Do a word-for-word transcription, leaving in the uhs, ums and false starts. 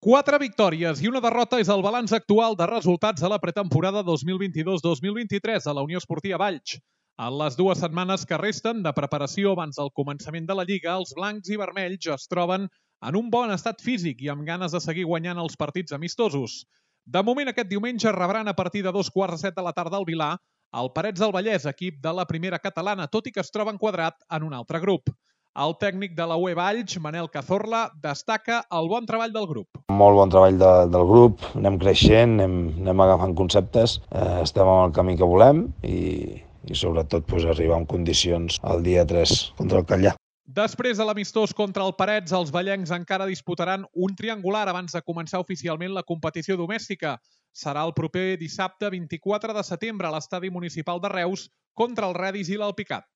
Quatre victòries i una derrota és el balanç actual de resultats a la pretemporada dos mil vint-i-dos dos mil vint-i-tres a la Unió Esportiva Valls. En les dues setmanes que resten de preparació abans del començament de la Lliga, els blancs i vermells es troben en un bon estat físic i amb ganes de seguir guanyant els partits amistosos. De moment, aquest diumenge rebran a partir de dos quarts de set de la tarda al Vilar el Parets del Vallès, equip de la primera catalana, tot i que es troba enquadrat en un altre grup. El tècnic de la U E Valls, Manel Cazorla, destaca el bon treball del grup. Molt bon treball de, del grup, anem creixent, anem, anem agafant conceptes, eh, estem en el camí que volem i, i sobretot pues, arribar en condicions el dia tres contra el Catllà. Després de l'amistós contra el Parets, els vallencs encara disputaran un triangular abans de començar oficialment la competició domèstica. Serà el proper dissabte vint-i-quatre de setembre a l'estadi municipal de Reus contra el Redis i l'Alpicat.